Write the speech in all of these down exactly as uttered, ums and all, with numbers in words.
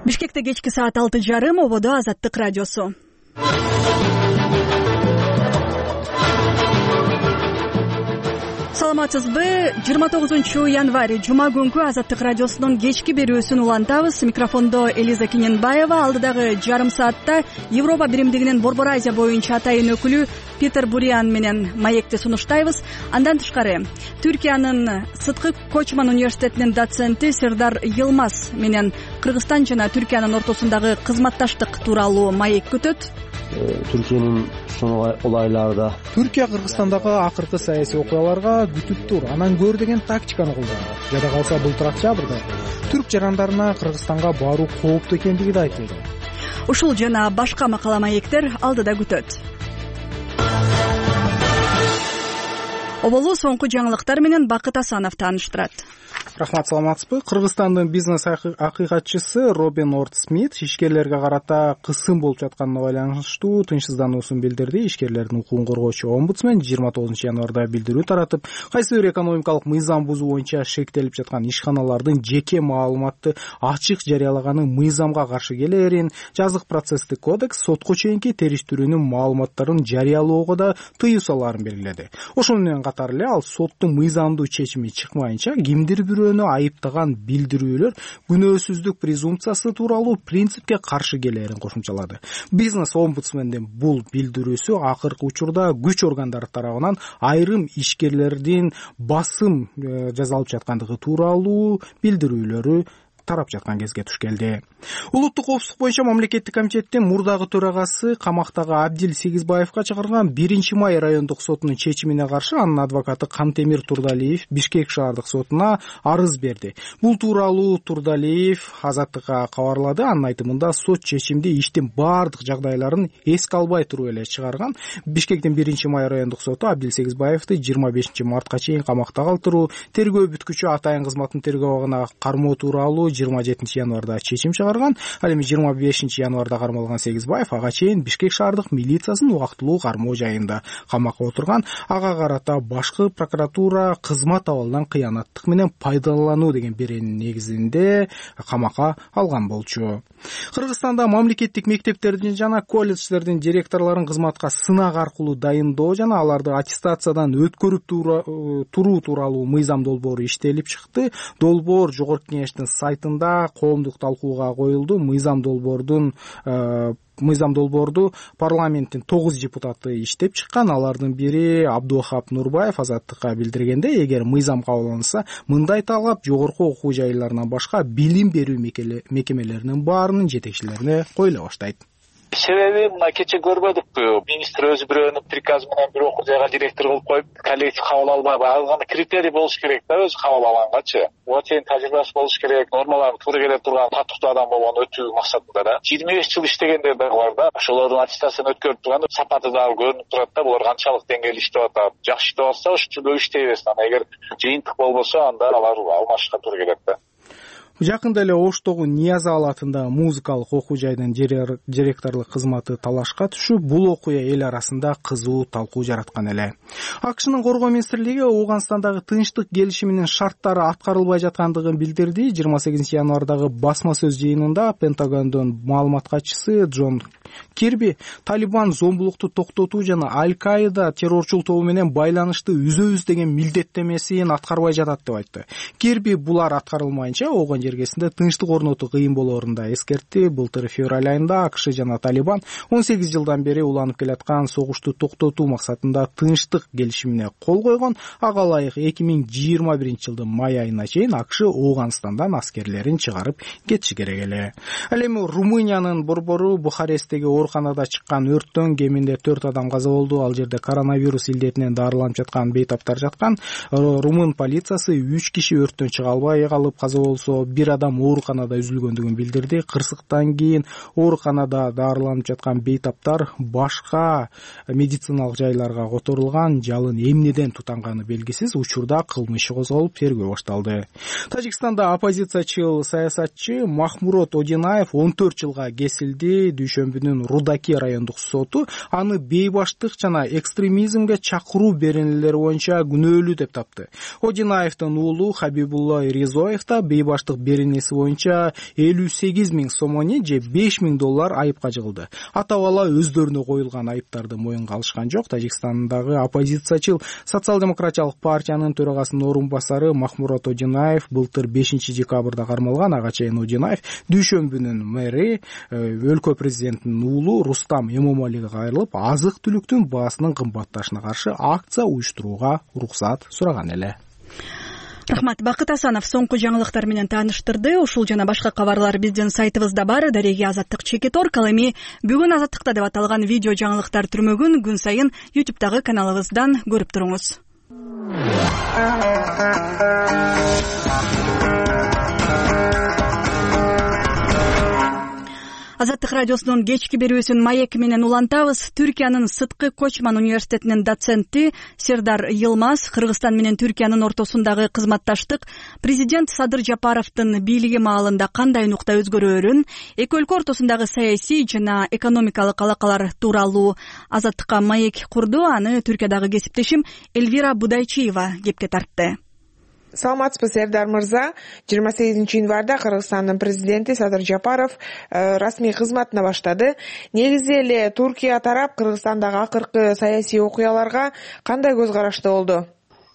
Бишкекте кечки саат алты жарым, ободо Азаттык радиосу. Саламатсызбы? жыйырма тогузунчу январь жума күнкү Азаттык радиосунун кечки берүүсүн улантабыз. Микрофондо Элиза Киненбаева. Алдыдагы жарым саатта Европа биримдигинин Борбор Азия боюнча атайын өкүлү Питер Буриан менен маекти сунуштайбыз. Андан тышкары Түркиянын Сыткы Кочман университетинин доценти Сердар Йылмаз менен Кыргызстан жана Түркиянын ортосундагы кызматташтык тууралуу маек күтөт. Түркиянын son olaylarda Түркия Кыргызстандагы акыркы саясий окуяларга күтүп тур, анан көр деген тактиканы колдонот. Жада калса былтыр октябрда түрк жарандарына Кыргызстанга баруу кооптуу экендиги да айтылды. Ушул жана башка макала маектер алдыда күтөт. Оболу соңку жаңылыктар менен Бакыт Асанов тааныштырат. Рахмат, саламатсызбы? Кыргызстандын бизнес акыйкатчысы Робин Орд Смит ишкерлерге карата кысым болуп жатканына байланыштуу тынчсыздануусун билдирди. Ишкерлердин укугун коргоочу омбудсмен жыйырма тогузунчу январда билдирүү таратып, кайсы бир экономикалык мыйзам бузуу боюнча шектелип жаткан ишканалардын жеке маалыматты ачык жарыялаганы мыйзамга каршы келерин, жазык процесстик кодекс сотко чейинки териштирүүнүн маалыматтарын жарыялоого да тыюу салаарын белгиледи. Ошону менен катар эле ал соттун мыйзамдуу чечими чыкмайынча кимдир бирөөнү айыптаган билдирүүлөр күнөөсүздүк презумпциясы тууралуу принципке каршы келерин кошумчалады. Бизнес омбудсмендин бул билдирүүсү акыркы учурда күч органдары тарабынан айрым ишкерлердин басым жасалып жаткандыгы тууралуу билдирүүлөрү тарап жаткан кезге туш келди. Улуттук коопсуздук боюнча мамлекеттик комитеттин мурдагы төрагасы камактагы Абдил Сегизбаевга чыгарган биринчи май райондук сотунун чечимине каршы анын адвокаты Кантемир Турдалиев Бишкек шаардык сотуна арыз берди. Бул тууралуу Турдалиев Азаттыкка кабарлады. Анын айтымында сот чечимди иштин баардык жагдайларын эске албай туруп эле чыгарган. Бишкектин биринчи май райондук соту Абдил Сегизбаевди жыйырма бешинчи мартка чейин камакта калтыруу, тергөө бүткүчү атайын кызматтын тергөө абагына кармоо тууралуу жыйырма жетинчи январда чечим чыгарган. Ал эми жыйырма бешинчи январда кармалган Сегизбаев ага чейин Бишкек шаардык милициясынын убактылуу кармоо жайында камакка отурган. Ага карата башкы прокуратура кызмат абалынан кыянаттык менен пайдалануу деген беренин негизинде камакка алган болчу. Кыргызстанда мамлекеттик мектептердин жана колледждердин директорлорун кызматка сынак аркылуу дайындоо жана аларды аттестациядан өткөрүп туруу тууралуу мыйзам долбоору иштелип чыкты. Долбоор Жогорку Кеңештин сайтында коомдук талкууга коюлду. Мыйзам долбоордун мыйзам долбоорду парламенттин тогуз депутаты иштеп чыккан. Алардын бири Абдувахап Нурбаев Азаттыкка билдиргенде, эгер мыйзам кабылданса, мындай талап жогорку окуу жайларынан башка билим берүү мекемелеринин баарынын жетекчилерине коюла баштайт. Себеби мына кече көрбөдүкпү, министр өзү бирөөнүн приказы менен бир окуу жайга директор кылып коюп, коллектив кабыл албай, алганда критерий болуш керек да, өзү кабыл алгангачы. Отен тажрыйбасы болуш керек, нормаларга туура келе турган татыктуу адам болгон өтүү максатында да. жыйырма беш жыл иштегендер да бар да. Ошолордун аттестациясын өткөрүп турганда сапаты дагы көрүнүп турат да, булар канчалык деңгээлде иштеп атат. Жакшы иштеп атса ошондой иштей берсин. Эгер жыйынтык болбосо, анда алар алмашышка туура келет да. Жакында эле Оштогу Нияз Алатында музыкалык окуу жайдын директорлук кызматы талашка түшүп, бул окуя эл арасында кызуу талкуу жараткан эле. АКШнын коргоо министрлиги Ооганстандагы тынчтык келишиминин шарттары аткарылбай жаткандыгын билдирди. жыйырма сегизинчи январдагы басма сөз жыйынында Пентагондун маалымат катчысы Джон Кирби Талибан зомбулукту токтотуу жана Аль-Каида террорчул тобу менен байланышты үзөбүз деген милдеттемесин аткарбай жатат деп айтты. Кирби булар аткарылмайынча оогон жергесинде тынчтык орнотуу кыйын болоорун да эскертти. Былтыр февраль айында АКШ жана Талибан он сегиз жылдан бери уланып келаткан согушту токтотуу максатында тынчтык келишимине кол койгон. Ага ылайык эки миң жыйырма биринчи жылдын май айына чейин АКШ Ооганстандан аскерлерин чыгарып кетиши керек эле. Ал эми Румыниянын борбору Бухаресттеги ооруканада чыккан өрттөн кеминде төрт адам каза болду. Ал жерде коронавирус илдетинен дарыланып жаткан бейтаптар жаткан. Румын полициясы үч киши өрттөн чыга албай калып каза болсо, бир адам ооруканада үзүлгөндүгүн билдирди. Кырсыктан кийин ооруканада дарыланып жаткан бейтаптар башка медициналык жайларга которулган. Жалын эмнеден тутанганы белгисиз. Учурда кылмыш иши козголуп, тергөө башталды. Тажикстанда оппозициячыл саясатчы Махмурот Одинаев он төрт жылга кесилди. Дүйшөмбүнүн Рудаки райондук соту аны бейбаштык жана экстремизмге чакыруу беренелери боюнча күнөөлүү деп тапты. Одинаевдин уулу Хабибулла Ризоев да бейбаштык беренеси боюнча элүү сегиз миң сомони же беш миң доллар айыпка жыгылды. Ата бала өздөрүнө коюлган айыптарды моюнга алышкан жок. Тажикстандагы оппозициячыл Социал-демократиялык партиянын төрагасынын орун басары Махмурат Одинаев былтыр бешинчи декабрда кармалган. Ага чейин Одинаев Дүйшөмбүнүн мэри, өлкө президентинин уулу Рустам Эмомалиге кайрылып, азык-түлүктүн баасынын кымбатташына каршы акция уюштурууга уруксат сураган эле. Рахмат. Бакыт Асанов соңку жаңылыктар менен тааныштырды. Ушул жана башка кабарлар биздин сайтыбызда бар. Дареги Азаттык Чекитор. Ал эми бүгүн Азаттыкта деп аталган видео жаңылыктар түрмөгүн күн сайын ютубтагы каналыбыздан көрүп туруңуз. Азаттык радиосунун кечки берүүсүн маек менен улантабыз. Түркиянын Сыткы Кочман университетинин доценти Сердар Йылмаз Кыргызстан менен Түркиянын ортосундагы кызматташтык президент Садыр Жапаровдун бийлиги маалында кандай нукта өзгөрөөрүн, эки өлкө ортосундагы саясий жана экономикалык алакалар тууралуу Азаттыкка маек курду. Аны Түркиядагы кесиптешим Эльвира Будайчиева кепке тартты. Саламатсызбы, Сердар мырза. жыйырма сегизинчи январда Кыргызстандын президенти Садыр Жапаров расмий кызматына баштады. Негизи эле Туркия тарап Кыргызстандагы акыркы саясий окуяларга кандай көз карашта болду?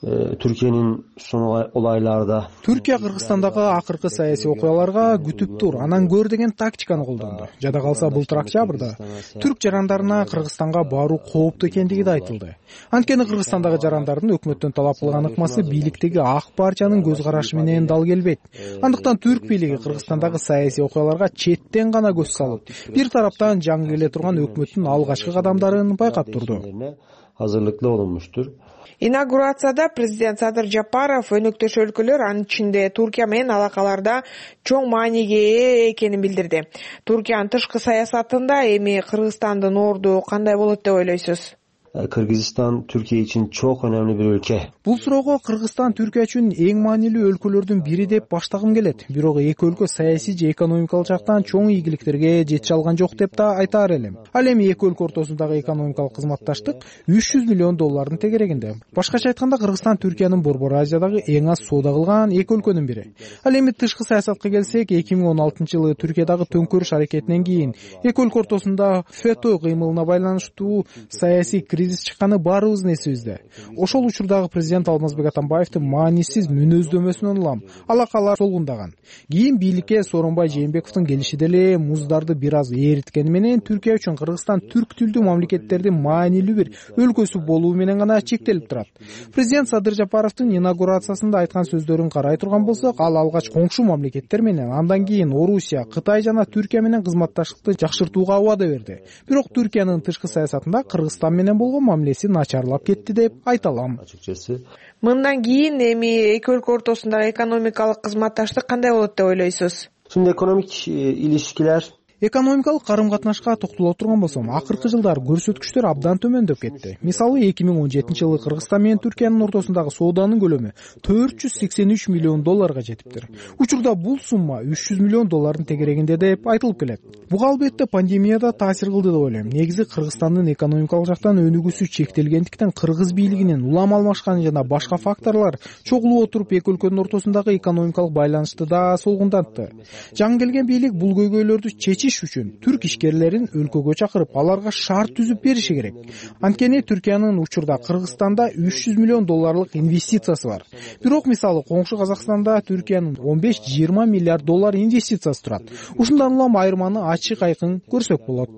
Türkiye'nin son olaylarda Türkiye Kırgızstandагы акыркы саясий окуяларга күтүп тур, анан көр деген тактиканы колдонду. Жада калса былтыр октябрда түрк жарандарына Кыргызстанга баруу кооптуу экендиги да айтылды. Анткени Кыргызстандагы жарандардын өкмөттөн талап кылган ыкмасы бийликтеги ак партиянын көз карашы менен дал келбейт. Андыктан түрк бийлиги Кыргызстандагы саясий окуяларга четтен гана көз салып, бир тараптан жаңы келе турган өкмөттүн алгачкы кадамдарын байкап турду. Hazırlıklı olunmuştur. Инаугурацияда президент Садыр Жапаров өнөктөш өлкөлөр, анын ичинде Туркия менен алакаларда чоң мааниге ээ экенин билдирди. Туркиянын тышкы саясатында эми Кыргызстандын орду кандай болот деп ойлойсуз? Kırgızistan Türkiye için çok önemli bir ülke. Бул суроого Кыргызстан Түркия үчүн эң маанилүү өлкөлөрдүн бири деп баштагым келет. Бирок эки өлкө саясий же экономикалык жактан чоң ийгиликтерге жете алган жок деп да айтаар элем. Ал эми эки өлкө ортосундагы экономикалык кызматташтык үч жүз миллион доллардын тегерегинде. Башкача айтканда Кыргызстан Түркиянын Борбор Азиядагы эң аз соода кылган эки өлкөнүн бири. Ал эми тышкы саясатка келсек, эки миң он алтынчы жылы Түркиядагы төңкөрүш аракетинен кийин эки өлкө ортосунда фето кыймылына байланыштуу саясий кризис чыкканы баарыбыздын эсибизде. Ошол учурдагы президент Алмазбек Атамбаевдин маанисиз мүнөздөмөсүнөн улам алакалар солгундаган. Кийин бийликке Сооронбай Жээнбековдун келиши деле муздарды бир аз ээриткени менен Түркия үчүн Кыргызстан түрк тилдүү мамлекеттердин маанилүү бир өлкөсү болуу менен гана чектелип турат. Президент Садыр Жапаровдун инаугурациясында айткан сөздөрүн карай турган болсок, ал алгач коңшу мамлекеттер менен, андан кийин Орусия, Кытай жана Түркия менен кызматташтыкты жакшыртууга убада берди. Бирок Түркиянын тышкы саясатында Кыргызстан менен болгон мамилеси начарлап кетти деп айта алам. Мындан кийин эми эки өлкө ортосундагы экономикалык кызматташтык кандай болот деп ойлойсуз? Şimdi ekonomik ilişkiler Экономикалык карым-катнашка токтоло турган болсом, акыркы жылдары көрсөткүчтөр абдан төмөндөп кетти. Мисалы, эки миң он жетинчи жылы Кыргызстан менен Түркиянын ортосундагы сооданын көлөмү төрт жүз сексен үч миллион долларга жетиптир. Учурда бул сумма үч жүз миллион доллардын тегерегинде деп айтылып келет. Буга албетте пандемияда таасир кылды деп ойлойм. Негизи Кыргызстандын экономикалык жактан өнүгүүсү чектелгендиктен кыргыз бийлигинин улам алмашканы жана башка факторлор чогулуп отуруп эки өлкөнүн ортосундагы экономикалык байланышты да солгундатты. Жаңы келген бийлик бул көйгөйлөрдү чечиш үчүн түрк ишкерлерин өлкөгө чакырып, аларга шарт түзүп бериши керек. Анткени Түркиянын учурда Кыргызстанда үч жүз миллион долларлык инвестициясы бар. Бирок мисалы коңшу Казакстанда Түркиянын он беш жыйырма миллиард доллар инвестициясы турат. Ушундан улам айырманы ачык айкын көрсөк болот.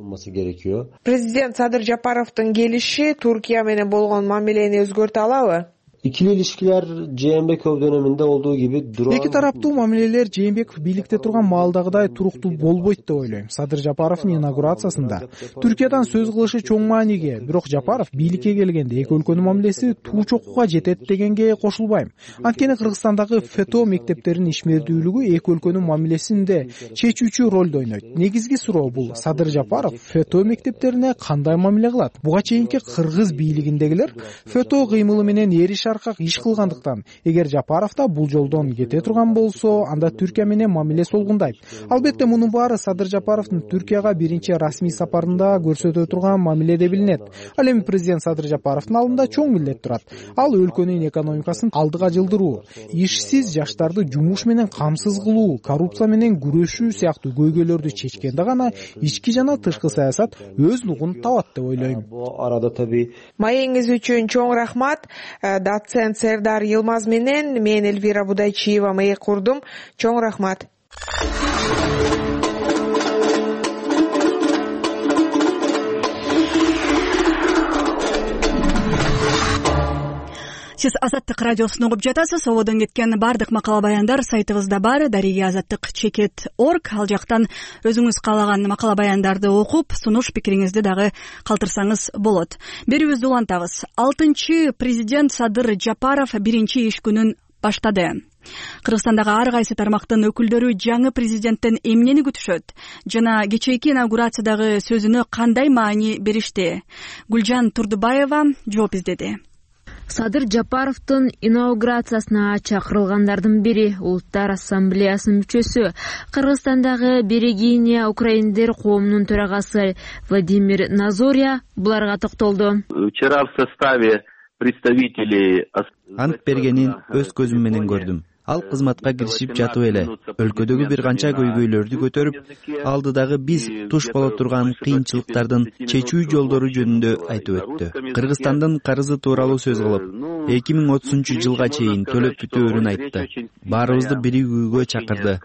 Президент Садыр Жапаровдун келиши Туркия менен болгон мамилени өзгөртө алабы? İkili ilişkiler Jээнбеков döneminde olduğu gibi duran... Эки тараптуу мамилелер Жээнбеков бийликте турган маалдагыдай туруктуу болбойт деп ойлойм. Садыр Жапаровдун инаугурациясында Түркиядан сөз кылышы чоң мааниге, бирок Жапаров бийликке келгенде эки өлкөнүн мамилеси туу чокуга жетет дегенге кошулбайм. Анткени Кыргызстандагы фето мектептеринин ишмердүүлүгү эки өлкөнүн мамилесинде чечүүчү ролду ойнойт. Негизги суроо бул: Садыр Жапаров фето мектептерине кандай мамиле кылат? Буга чейинки кыргыз бийлигиндегилер фето кыймылы менен эри таркак иш кылгандыктан эгер Жапаров да бул жолдон кете турган болсо, анда Түркия менен мамиле солгундайт. Албетте мунун баары Садыр Жапаровдун Түркияга биринчи расмий сапарында көрсөтө турган мамиле деп билинет. Ал эми президент Садыр Жапаровдун алдында чоң милдет турат. Ал өлкөнүн экономикасын алдыга жылдыруу, ишсиз жаштарды жумуш менен камсыз кылуу, коррупция менен күрөшүү сыяктуу көйгөйлөрдү чечкенде гана ички жана тышкы саясат өз нугун табат деп ойлойм. Бул арада таbii Маегиңиз үчүн чоң рахмат. Доцент Сердар Йылмаз менен мен Эльвира Будайчиева маек курдум. Чоң рахмат. Сиз Азаттык радиосун угуп жатасыз. Ободон кеткен бардык макала баяндар сайтыбызда бар. Дарига азаттык чекит точка орг. Ал жактан өзүңүз каалаган макала баяндарды окуп, сунуш пикириңизди дагы калтырсаңыз болот. Берүүбүздү улантабыз. алтынчы президент Садыр Жапаров биринчи иш күнүн баштады. Кыргызстандагы ар кайсы тармактын өкүлдөрү жаңы президенттен эмнени күтүшөт жана кечээки инаугурациядагы сөзүнө кандай маани беришти? Гүлжан Турдубаева жооп издеди. Садыр Жапаровдун инаугурациясына чакырылгандардын бири Улуттар ассамблеясынын мүчөсү, Кыргызстандагы Берегиня украиндер коомунун төрагасы Владимир Назорья буларга токтолду. Вчера в составе представителей ант бергенин өз көзүм менен көрдүм. Ал кызматка киришип жатып эле өлкөдөгү бир канча көйгөйлөрдү көтөрүп, алдыдагы биз туш боло турган кыйынчылыктардын чечүү жолдору жөнүндө айтып өттү. Кыргызстандын карызы тууралуу сөз кылып, эки миң отузунчу жылга чейин төлөп бүтөөрүн айтты. Баарыбызды биригүүгө чакырды.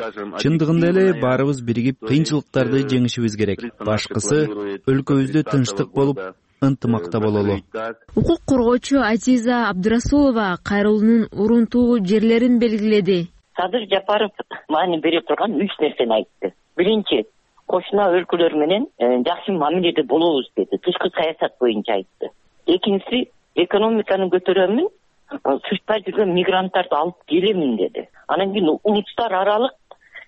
Чындыгында эле баарыбыз биригип кыйынчылыктарды жеңишибиз керек. Башкысы өлкөбүздө тынчтык болуп, ынтымакта бололу. Укук коргоочу Азиза Абдырасулова кайрылуунун урунтуу жерлерин белгиледи. Садыр Жапаров маани бере турган үч нерсени айтты. Биринчи, кошуна өлкөлөр менен жакшы мамиледе болобуз деди. Тышкы саясат боюнча айтты. Экинчиси, экономиканы көтөрөмүн, сыртта жүргөн мигранттарды алып келемин деди. Анан кийин улуттар аралык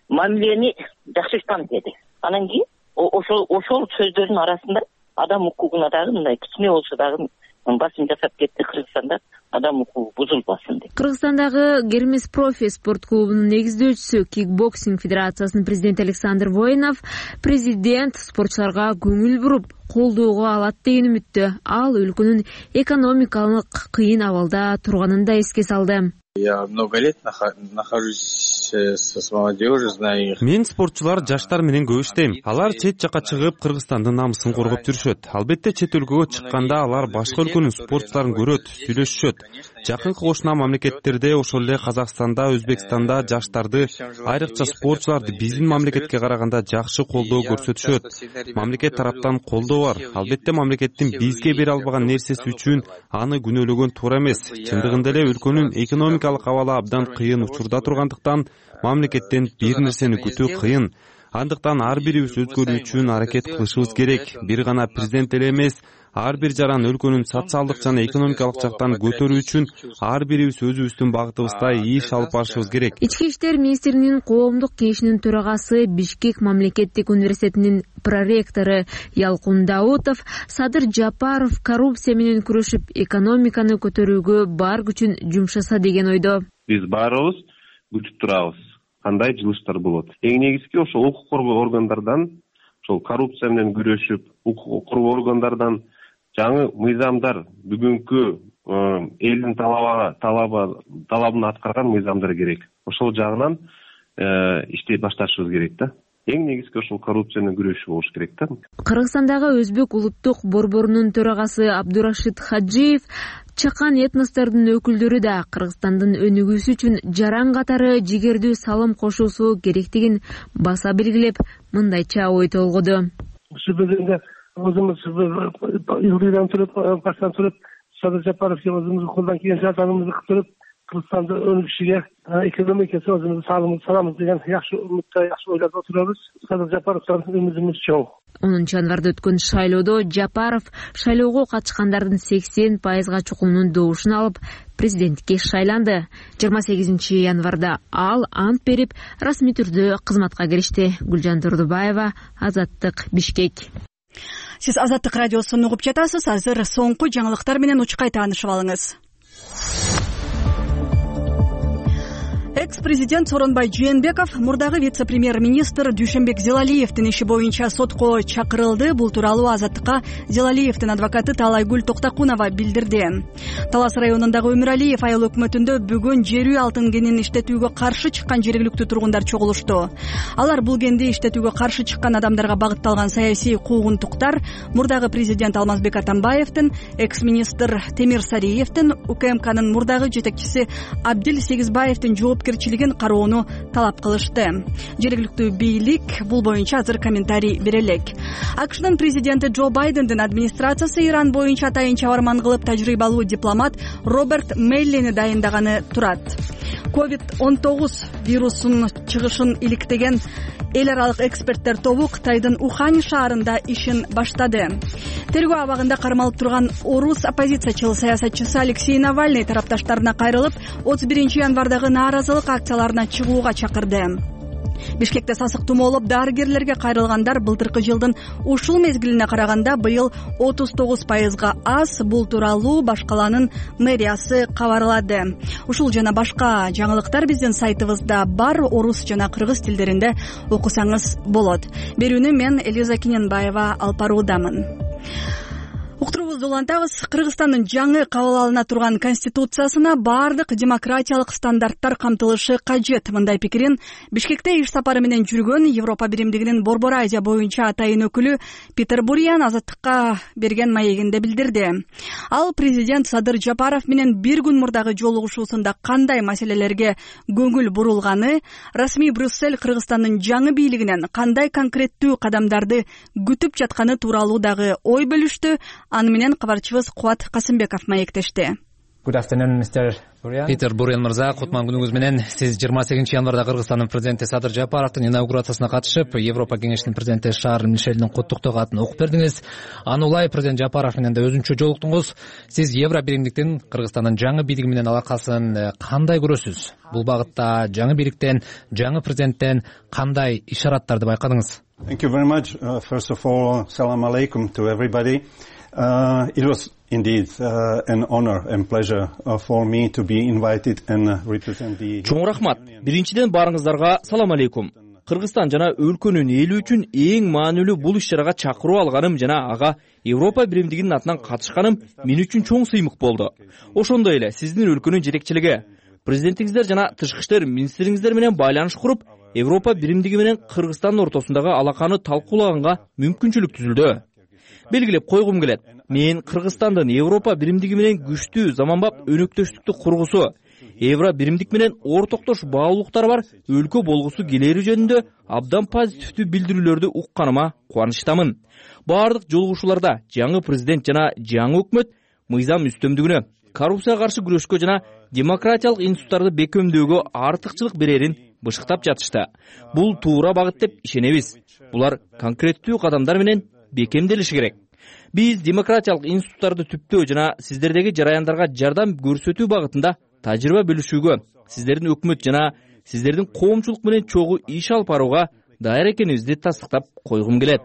мамилени жакшыртам деди. Анан кийин ошол ошол сөздөрдүн арасында адам укугуна дагы мындай кичине болсо дагы басым жасап кетти. Кыргызстанда адам укугу бузулбасын деп. Кыргызстандагы Гермес Профи спорт клубунун негиздөөчүсү, кикбоксинг федерациясынын президенти Александр Воинов президент спортчуларга көңүл буруп, колдоого алат деген үмүттө. Ал өлкөнүн экономикалык кыйын абалда турганын да эске салды. Я много лет нахожусь с молодежью, знаю их. Мен спортчулар жаштар менен көп иштейм. Алар чет жака чыгып Кыргызстандын намысын коргоп жүрүшөт. Албетте чет өлкөгө чыкканда алар башка өлкөнүн спортчуларын көрөт, сүйлөшүшөт. Жакынкы кошуна мамлекеттерде, ошол эле Казакстанда, Өзбекстанда жаштарды, айрыкча спортчуларды биздин мамлекетке караганда жакшы колдоо көрсөтүшөт. Мамлекет тараптан колдоо бар. Албетте мамлекеттин бизге бере албаган нерсеси үчүн аны күнөөлөгөн туура эмес. Чындыгында эле өлкөнүн экономикалык абалы абдан кыйын учурда тургандыктан мамлекеттен бир нерсени күтүү кыйын. Андыктан ар бирибиз өзгөрүү үчүн аракет кылышыбыз керек. Бир гана президент эле эмес, ар бир жаран өлкөнүн социалдык жана экономикалык жактан көтөрүү үчүн ар бирибиз өзүбүздүн багытыбызда иш алып барышыбыз керек. Ички иштер министринин коомдук кеңешинин төрагасы, Бишкек мамлекеттик университетинин проректору Ялкун Даутов Садыр Жапаров коррупция менен күрөшүп, экономиканы көтөрүүгө бар күчүн жумшаса деген ойдо. Биз баарыбыз күтүп турабыз. Кандай жылыштар болот? Эң негизги ошол укук коргоо органдардан, ошол коррупция менен күрөшүп, укук коргоо органдардан жаңы мыйзамдар, бүгүнкү элдин талабы талабы талабын аткарган мыйзамдар керек. Ошол жагынан иштей башташыбыз керек да. Эң негизги ошол коррупция менен күрөшүү болуш керек да. Кыргызстандагы Өзбек улуттук борборунун төрагасы Абдурашид Хаджиев чакан этностордун өкүлдөрү да Кыргызстандын өнүгүүсү үчүн жаран катары жигердүү салым кошуусу керектигин баса белгилеп, мындайча ой толгоду. Өзүмүз Юрийдан туруп, баштан туруп, Садыр Жапаровго өзүмүздүн колдон келген жардамыбызды кылып, Кыргызстанда өнүгүшүгө, экономикасы өзүмүздүн салымыбызды саламыз деген жакшы үмүттө, жакшы ойлоп отурабыз. Садыр Жапаровдон үмүтүбүз чоң. онунчу январда өткөн шайлоодо Жапаров шайлоого катышкандардын сексен пайызга чукумунун добушун алып, президентке шайланды. жыйырма сегизинчи январда ал ант берип, расмий түрдө кызматка киришти. Гүлжан Турдубаева, Азаттык, Бишкек. Сиз Азаттык радиосун угуп жатасыз. Азыр соңку жаңылыктар менен учкай таанышып алыңыз. Экс-президент Сооронбай Жээнбеков мурдагы вице-премьер-министр Дүйшөнбек Зелалиевдин иши боюнча сотко чакырылды. Бул тууралуу Азаттыкка Зелалиевдин адвокаты Таалайгүл Токтакунова билдирди. Талас районундагы Өмүралиев айыл өкмөтүндө бүгүн жер үй алтын кенин иштетүүгө каршы чыккан жергиликтүү тургундар чогулушту. Алар бул кенди иштетүүгө каршы чыккан адамдарга багытталган саясий куугунтуктар мурдагы президент Алмазбек Атамбаевдин, экс-министр Темир Сариевдин, УКМКнын мурдагы жетекчиси Абдил Сегизбаевдин жоопкерчилигин кароону талап кылышты. Жергиликтүү бийлик бул боюнча азыр комментарий бере элек. АКШнын президенти Джо Байдендин администрациясы Иран боюнча атайын чабарман кылып тажрыйбалуу дипломат Роберт Меллени дайындаганы турат. ковид он тогуз вирусунун чыгышын иликтеген эл аралык эксперттер тобу Кытайдын Ухань шаарында ишин баштады. Тергөө абагында кармалып турган орус оппозициячыл саясатчысы Алексей Навальный тарапташтарына кайрылып, отуз биринчи январдагы нааразылык акцияларына чыгууга чакырды. Бишкекте сасык тумоолоп дарыгерлерге кайрылгандар былтыркы жылдын ушул мезгилине караганда быйыл отуз тогуз пайызга аз. Бул тууралуу баш каланын мэриясы кабарлады. Ушул жана башка жаңылыктар биздин сайтыбызда бар, орус жана кыргыз тилдеринде окусаңыз болот. Берүүнү мен Элиза Киненбаева алып баруудамын. Уктуруубузду улантабыз. Кыргызстандын жаңы кабыл алына турган конституциясына баардык демократиялык стандарттар камтылышы кажет. Мындай пикирин Бишкекте иш сапары менен жүргөн Европа биримдигинин Борбор Азия боюнча атайын өкүлү Питер Буриан Азаттыкка берген маегинде билдирди. Ал президент Садыр Жапаров менен бир күн мурдагы жолугушуусунда кандай маселелерге көңүл бурулганы, расмий Брюссель Кыргызстандын жаңы бийлигинен кандай конкреттүү кадамдарды күтүп жатканы тууралуу дагы ой бөлүштү. Аны менен кабарчыбыз Кубат Касымбеков маектешти. Питер Буриан мырза, кутман күнүңүз менен. Сиз жыйырма сегизинчи январда Кыргызстандын президенти Садыр Жапаровдун инаугурациясына катышып, Европа кеңешинин президенти Шарль Мишелдин куттуктоо катын окуп бердиңиз. Аны улай президент Жапаров менен да өзүнчө жолуктуңуз. Сиз Евро биримдиктин Кыргызстандын жаңы бийлиги менен алакасын кандай көрөсүз? Бул багытта жаңы бийликтен, жаңы президенттен кандай ишараттарды байкадыңыз? Thank you very much. Uh, first of all, salam alaikum to everybody. Uh, it was indeed uh, an honor and pleasure uh, for me to be invited and uh, represent the... Чоң рахмат. Биринчиден барыңыздарга салам алейкум. Кыргызстан жана өлкөнүн эли үчүн эң маанилүү бул иш-чарага чакыруу алганым жана ага Европа биримдигинин атынан катышканым мен үчүн чоң сыймык болду. Ошондой эле сиздин өлкөнүн жетекчилиги, президентиңиздер жана тышкы иштер министриңиздер менен байланыш куруп, Европа биримдиги менен Кыргызстандын ортосундагы алаканы талкуулаганга мүмкүнчүлүк түзүлдү. Белгилеп койгум келет. Мен Кыргызстандын Европа биримдиги менен күчтүү заманбап өнөктөштүктү кургусу, Евро биримдик менен ортоктош баалуулуктары бар өлкө болгусу келери жөнүндө абдан позитивдүү билдирүүлөрдү укканыма кубанычтамын. Баардык жолугушууларда жаңы президент жана жаңы өкмөт мыйзам үстөмдүгүнө, коррупцияга каршы күрөшкө жана демократиялык институттарды бекемдөөгө артыкчылык берерин бышыктап жатышты. Бул туура багыт деп ишенебиз. Булар конкреттүү кадамдар менен бекемделиши керек. Биз демократиялык институттарды түптөө жана сиздердеги жараяндарга жардам көрсөтүү багытында тажрыйба бөлүшүүгө, сиздердин өкмөт жана сиздердин коомчулук менен чогуу иш алып барууга даяр экенибизди тастыктап койгум келет.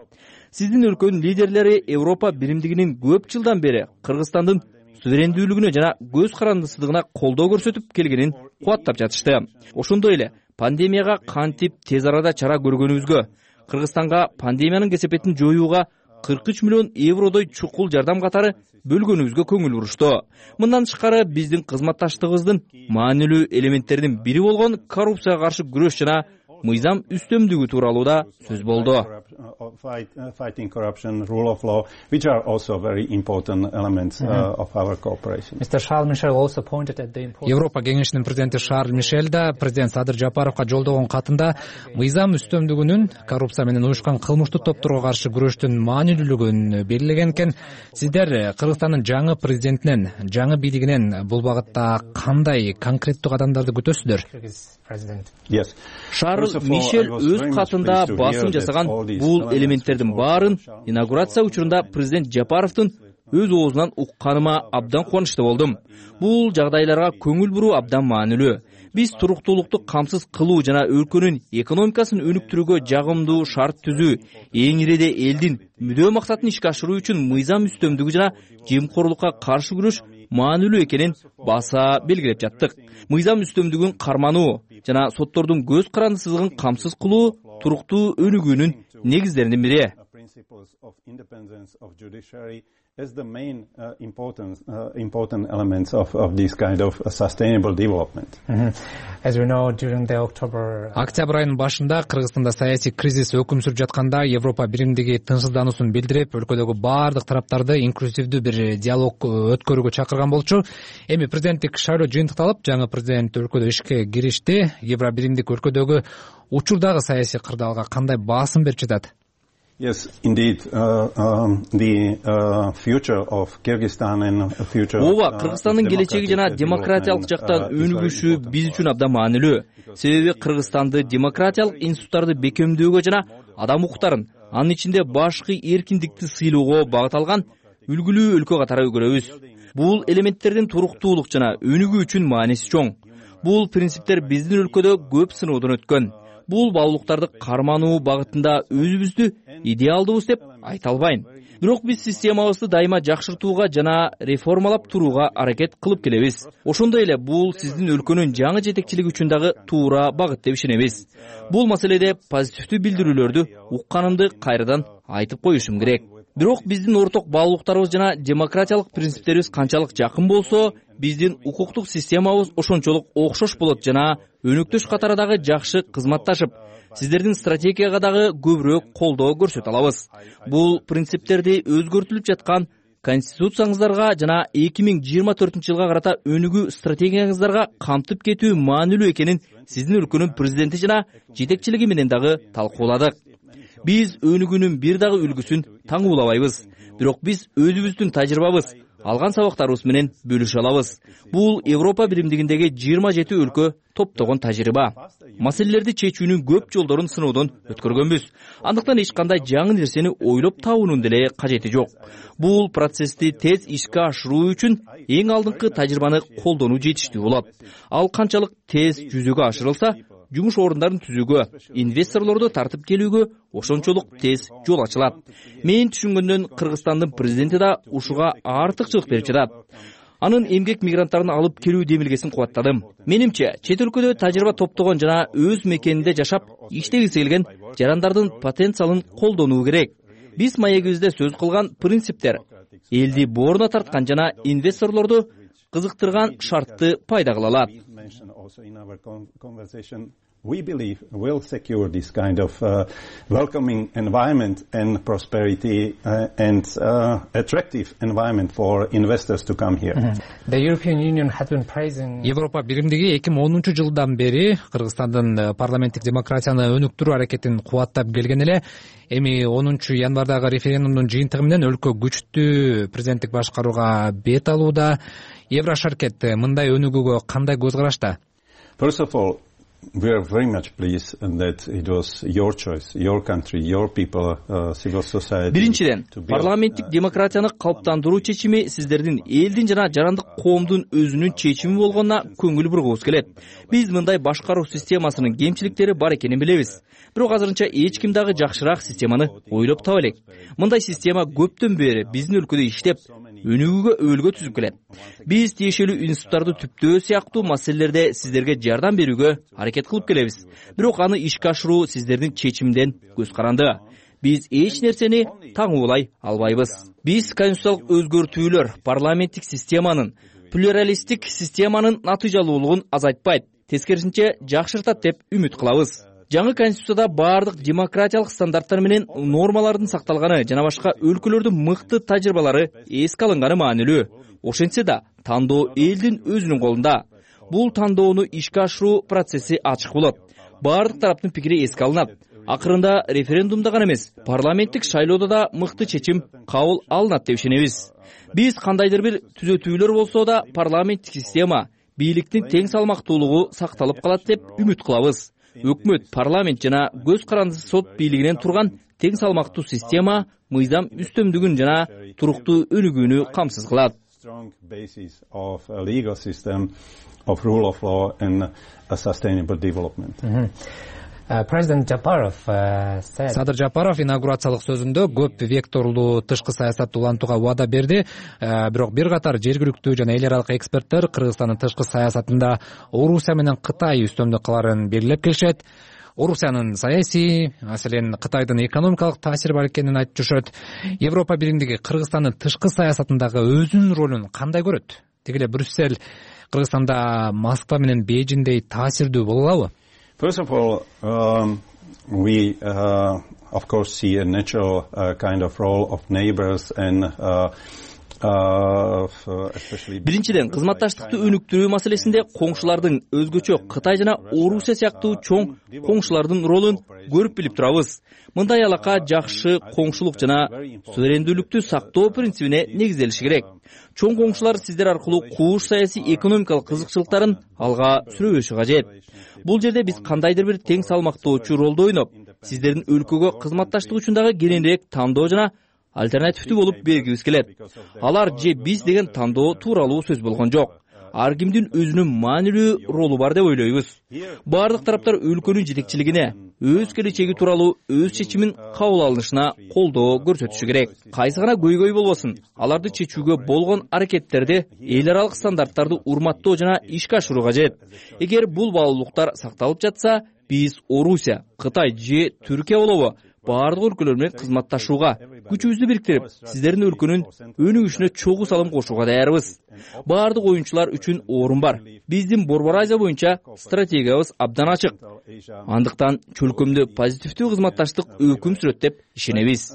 Сиздин өлкөнүн лидерлери Европа биримдигинин көп жылдан бери Кыргызстандын суверендүүлүгүнө жана көз карандысыздыгына колдоо көрсөтүп келгенин кубаттап жатышты. Ошондой эле пандемияга кантип тез арада чара көргөнүбүзгө, Кыргызстанга пандемиянын кесепетин жоюуга кырк үч миллион евродой чукул жардам катары бөлгөнүбүзгө көңүл бурушту. Мындан тышкары биздин кызматташтыгыбыздын маанилүү элементтеринин бири болгон коррупцияга каршы күрөш жана мыйзам үстөмдүгү тууралуу да сөз болду. Fighting corruption, rule of law, which are also very important elements uh, of our cooperation. Европа кеңешинин президенти Шарль Мишель да президент Садыр Жапаровго жолдогон катында мыйзам үстөмдүгүнүн, коррупция менен уюшкан кылмыштуу топторго каршы күрөштүн маанилүүлүгүн белгилеген экен. Сиздер Кыргызстандын жаңы президентинен, жаңы бийлигинен бул багытта кандай конкреттүү кадамдарды күтөсүздөр? Yes. Шарль Мишель өз катында басым жасаган бул элементтердин баарын инаугурация учурунда президент Жапаровдун өз оозунан укканыма абдан кубанычтуу болдум. Бул жагдайларга көңүл буруу абдан маанилүү. Биз туруктуулукту камсыз кылуу жана өлкөнүн экономикасын өнүктүрүүгө жагымдуу шарт түзүү, эң иреде элдин мүдөө максатын ишке ашыруу үчүн мыйзам үстөмдүгү жана жемкорлукка каршы күрөш маанилүү экенин баса белгилеп жаттык. Мыйзам үстөмдүгүн кармануу жана соттордун көз карандысыздыгын камсыз кылуу туруктуу өнүгүүнүн негиздеринин бири. Is the main uh, important uh, important elements of of this kind of uh, sustainable development. Mm-hmm. As we know, during the October Октябрь айынын башында Кыргызстанда саясий кризис өкүм сүрүп жатканда Европа биримдиги тынчсыздануусун билдирип, өлкөдөгү баардык тараптарды инклюзивдүү бир диалог өткөрүүгө чакырган болчу. Эми президенттик шайлоо жыйынтыкталып, жаңы президент өлкөдө ишке киришти. Евро биримдик өлкөдөгү учурдагы саясий кырдаалга кандай басым берип жатат? Yes, indeed. Uh, um, the uh, future of Kyrgyzstan and future. Ооба, Кыргызстандын келечеги жана демократиялык жактан өнүгүшү биз үчүн абдан маанилүү. Себеби Кыргызстанды демократиялык институттарды бекемдөөгө жана адам укуктарын, анын ичинде башкы эркиндикти сыйлоого багыт алган үлгүлүү өлкө катары көрөбүз. Бул элементтердин туруктуулук жана өнүгүү үчүн мааниси чоң. Бул принциптер биздин өлкөдө көп сыноодон өткөн. Бул баалуулуктарды кармануу багытында өзүбүздү идеалдуубуз деп айта албайм. Бирок биз системабызды дайыма жакшыртууга жана реформалап турууга аракет кылып келебиз. Ошондой эле бул сиздин өлкөнүн жаңы жетекчилиги үчүн дагы туура багыт деп ишенебиз. Бул маселеде позитивдүү билдирүүлөрдү укканымды кайрадан айтып коюшум керек. Бирок биздин орток баалуулуктарыбыз жана демократиялык принциптерибиз канчалык жакын болсо, биздин укуктук системабыз ошончолук окшош болот жана өнөктөш катары дагы жакшы кызматташып, сиздердин стратегияга дагы көбүрөөк колдоо көрсөтө алабыз. Бул принциптерди өзгөртүлүп жаткан конституцияңыздарга жана эки миң жыйырма төртүнчү жылга карата өнүгүү стратегияңыздарга камтып кетүү маанилүү экенин сиздин өлкөнүн президенти жана жетекчилиги менен дагы талкууладык. Биз өнүгүүнүн бир дагы үлгүсүн таңуулабайбыз. Бирок биз өзүбүздүн тажрыйбабыз, алган сабактарыбыз менен бөлүшө алабыз. Бул Европа биримдигиндеги жыйырма жети өлкө топтогон тажрыйба. Маселелерди чечүүнүн көп жолдорун сыноодон өткөргөнбүз. Андыктан эч кандай жаңы нерсени ойлоп табуунун деле кажети жок. Бул процессти тез ишке ашыруу үчүн эң алдыңкы тажрыйбаны колдонуу жетиштүү болот. Ал канчалык тез жүзөгө ашырылса, жумуш орундарын түзүүгө, инвесторлорду тартып келүүгө ошончолук тез жол ачылат. Мен түшүнгөндөн Кыргызстандын президенти да ушуга артыкчылык берип жатат. Анын эмгек мигранттарын алып келүү демилгесин кубаттадым. Менимче, чет өлкөдө тажрыйба топтогон жана өз мекенинде жашап, иштегиси келген жарандардын потенциалын колдонуу керек. Биз маегибизде сөз кылган принциптер элди бооруна тарткан жана инвесторлорду кызыктырган шартты пайда кыла алат. We believe will secure this kind of uh, welcoming environment and prosperity uh, and uh, attractive environment for investors to come here. Mm-hmm. The European Union has been praising Европа биримдиги эки миң онунчу жылдан бери Кыргызстандын парламенттик демократияны өнүктүрүү аракетин кубаттап келген эле. Эми онунчу январдагы референдумдун жыйынтыгы менен өлкө күчтүү президенттик башкарууга бет алууда. Еврошаркет мындай өнүгүүгө кандай көз карашта? First of all, we are very much pleased that it was your choice, your country, your people, uh, civil society. Биринчиден, парламенттик демократияны калыптандыруу чечими сиздердин элдин жана жарандык коомдун өзүнүн чечими болгонуна көңүл бургубуз келет. Биз мындай башкаруу системасынын кемчиликтери бар экенин билебиз. Бирок азырынча эч ким дагы жакшыраак системаны ойлоп таба элек. Мындай система көптөн бери биздин өлкөдө иштеп, өнүгүүгө өөлгө түзүп келет. Биз тиешелүү институттарды түптөө сыяктуу маселелерде сиздерге жардам берүүгө аракет кылып келебиз. Бирок аны ишке ашыруу сиздердин чечимден көз каранды. Биз эч нерсени таңуулай албайбыз. Биз конституциялык өзгөртүүлөр парламенттик системанын, плюралисттик системанын натыйжалуулугун азайтпайт, тескерисинче жакшыртат деп үмүт кылабыз. Жаңы конституцияда баардык демократиялык стандарттар менен нормалардын сакталганы жана башка өлкөлөрдүн мыкты тажрыйбалары эске алынганы маанилүү. Ошентсе да, тандоо элдин өзүнүн колунда. Бул тандоону ишке ашыруу процесси ачык болот. Баардык тараптын пикири эске алынат. Акырында референдумда гана эмес, парламенттик шайлоодо да мыкты чечим кабыл алынат деп ишенебиз. Биз кандайдыр бир түзөтүүлөр болсо да парламенттик система, бийликтин тең салмактуулугу сакталып калат деп үмүт кылабыз. Өкмөт, парламент жана көз карандысы сот бийлигинен турган тең салмактуу система мыйзам үстөмдүгүн жана туруктуу өнүгүүнү камсыз кылат. Strong basis of a legal system of rule of law and a sustainable development. Mm-hmm. президент Жапаров Садыр Жапаров инаугурациялык сөзүндө көп векторлуу тышкы саясатты улантууга убада берди. Бирок бир катар жергиликтүү жана эл аралык эксперттер Кыргызстандын тышкы саясатында Орусия менен Кытай үстөмдүк кыларын белгилеп келишет. Орусиянын саясий, маселен Кытайдын экономикалык таасири бар экенин айтып жүрүшөт. Европа биримдиги Кыргызстандын тышкы саясатындагы өзүнүн ролун кандай көрөт? Тиги эле Брюссель Кыргызстанда Москва менен Бейжиңдей таасирдүү боло алабы? First of all, um, we uh, of course see a natural uh, kind of role of neighbors and uh, Биринчиден, кызматташтыкты өнүктүрүү маселесинде коңшулардын өзгөчө Кытай жана Орусия сыяктуу чоң коңшулардын ролун көрүп билип турабыз. Мындай алака жакшы коңшулук жана суверендүүлүктү сактоо принцибине негизделиши керек. Чоң коңшулар сиздер аркылуу кууш саясий экономикалык кызыкчылыктарын алга сүрөбөшү кажет. Бул жерде биз кандайдыр бир тең салмактоочу ролду ойноп, сиздердин өлкөгө кызматташтык үчүн дагы кененирээк тандоо жана альтернативдүү болуп бергибиз келет. Алар же биз деген тандоо тууралуу сөз болгон жок. Ар кимдин өзүнүн маанилүү ролу бар деп ойлойбуз. Бардык тараптар өлкөнүн жетекчилигине, өз келечеги тууралуу өз чечимин кабыл алышына колдоо көрсөтүшү керек. Кайсы гана көйгөй болбосун, аларды чечүүгө болгон аракеттерди эл аралык стандарттарды урматтоо жана ишке ашыруу кажет. Эгер бул баалуулуктар сакталып жатса, биз Орусия, Кытай же Түркия болобу бардык өлкөлөр менен кызматташууга, күчүбүздү бириктирип, сиздердин өлкөнүн өнүгүшүнө чогуу салым кошууга даярбыз. Бардык оюнчулар үчүн орун бар. Биздин Борбор Азия боюнча стратегиябыз абдан ачык. Андыктан чөлкөмдө позитивдүү кызматташтык өкүм сүрөт деп ишенебиз.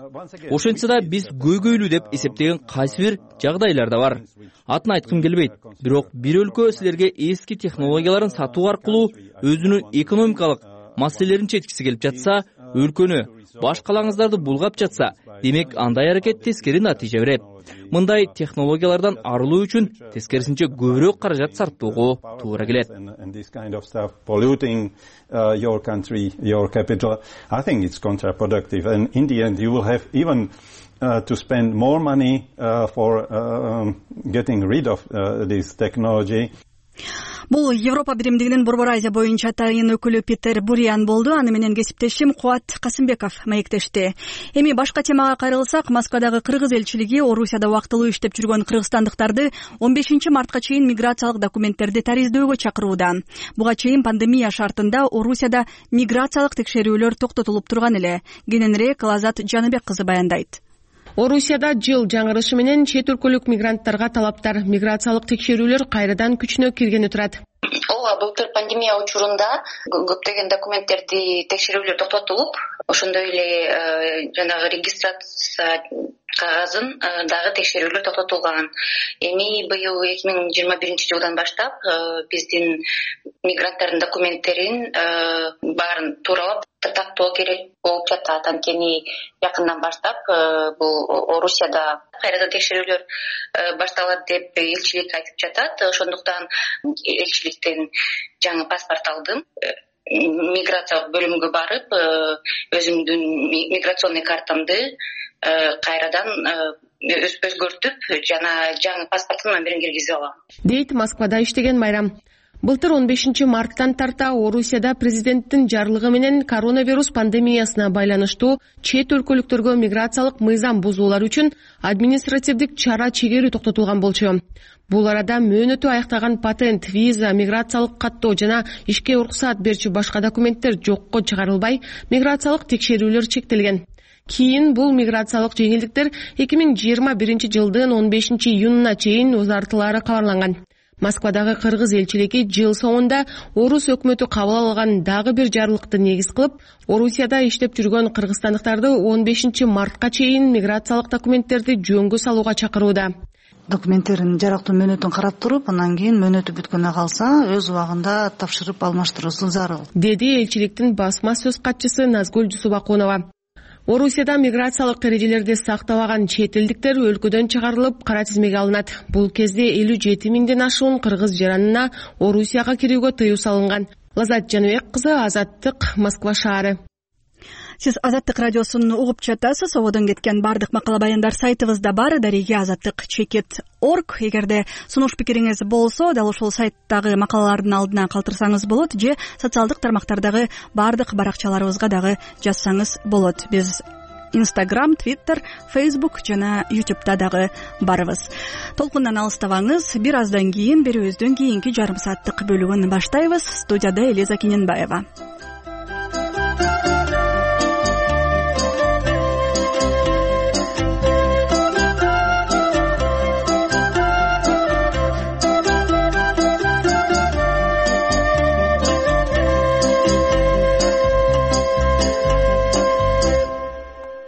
Ошентсе да биз көйгөйлүү деп эсептеген кайсы бир жагдайлар да бар. Атын айткым келбейт. Бирок бир өлкө силерге эски технологияларын сатуу аркылуу өзүнүн экономикалык маселелерин чечкиси келип жатса, өлкөнү башкалаңыздарды булгап жатса, демек андай аракет тескери натыйжа берет. Мындай технологиялардан арылуу үчүн тескерисинче көбүрөөк каражат сарптоого туура келет. Polluting uh, your country, your capital, I think it's counterproductive, and in the end you will have even uh, to spend more money uh, for uh, getting rid of uh, this technology. Бул Европа биримдигинин Борбор Азия боюнча атайын өкүлү Питер Буриан болду. Аны менен кесиптешим Кубат Касымбеков маектешти. Эми башка темага кайрылсак, Москвадагы кыргыз элчилиги Орусияда убактылуу иштеп жүргөн кыргызстандыктарды он бешинчи мартка чейин миграциялык документтерди тариздөөгө чакырууда. Буга чейин пандемия шартында Орусияда миграциялык текшерүүлөр токтотулуп турган эле. Кененирээк Лазат Жаныбек кызы баяндайт. Орусияда жыл жаңырышы менен чет өлкөлүк мигранттарга талаптар, миграциялык текшерүүлөр кайрадан күчүнө киргени турат. Ооба, былтыр пандемия учурунда көптөгөн документтерди текшерүүлөр токтотулуп, ошондой эле жанагы регистрация кагазын дагы текшерүүлөр токтотулган. Эми быйыл эки миң жыйырма биринчи жылдан баштап биздин мигранттардын документтерин баарын тууралап тактоо керек болуп жатат. Анткени жакындан баштап бул Орусияда кайрадан текшерүүлөр башталат деп элчилик айтып жатат. Ошондуктан элчиликтен жаңы паспорт алдым. Миграциялык бөлүмгө барып, өзүмдүн миграционный картамды кайрадан өзгөртүп, жана жаңы паспорттун номерин киргизип алам. Дейт Москвада иштеген Майрам. Былтыр он бешинчи марттан тарта Орусияда президенттин жарлыгы менен коронавирус пандемиясына байланыштуу чет өлкөлүктөргө миграциялык мыйзам бузуулар үчүн административдик чара чегерүү токтотулган болчу. Бул арада мөөнөтү аяктаган патент, виза, миграциялык каттоо жана ишке уруксаат берчү башка документтер жокко чыгарылбай, миграциялык текшерүүлөр чектелген. Кийин бул миграциялык жеңилдиктер эки миң жыйырма биринчи жылдын он бешинчи июнуна чейин узартылары кабарланган. Москвадагы кыргыз элчилиги жыл соңунда Орус өкмөтү кабыл алган дагы бир жарлыкты негиз кылып, Орусияда иштеп жүргөн кыргызстандыктарды он бешинчи мартка чейин миграциялык документтерди жөнгө салууга чакырууда. Документтерин жарыктуу мөөнөтүн карап туруп, анан кийин мөөнөтү бүткөнгө калса, өз убагында тапшырып алмаштыруусу зарыл, деди элчиликтин басма сөз катчысы Назгүл Жусубакунова. Орусияда миграциялык эрежелерди сактабаган чет элдиктер өлкөдөн чыгарылып, кара тизмеге алынат. Бул кезде элүү жети миңден ашуун кыргыз жаранына Орусияга кирүүгө тыюу салынган. Лазат Жаныбек кызы, Азаттык, Москва шаары. сиз Азаттык радиосун угуп жатасыз. Ободон кеткен баардык макала баяндар сайтыбызда бар. дареги азаттык чекит точка орг. Эгерде сунуш пикириңиз болсо, дал ушул сайттагы макалалардын алдына калтырсаңыз болот же социалдык тармактардагы баардык баракчаларыбызга дагы жазсаңыз болот. Биз Instagram, Twitter, Facebook жана YouTube'да дагы барыбыз. Толкундан алыстабаңыз. Бир аздан кийин берүүбүздүн кийинки жарым сааттык бөлүгүн баштайбыз. Студияда Элиза Кененбаева.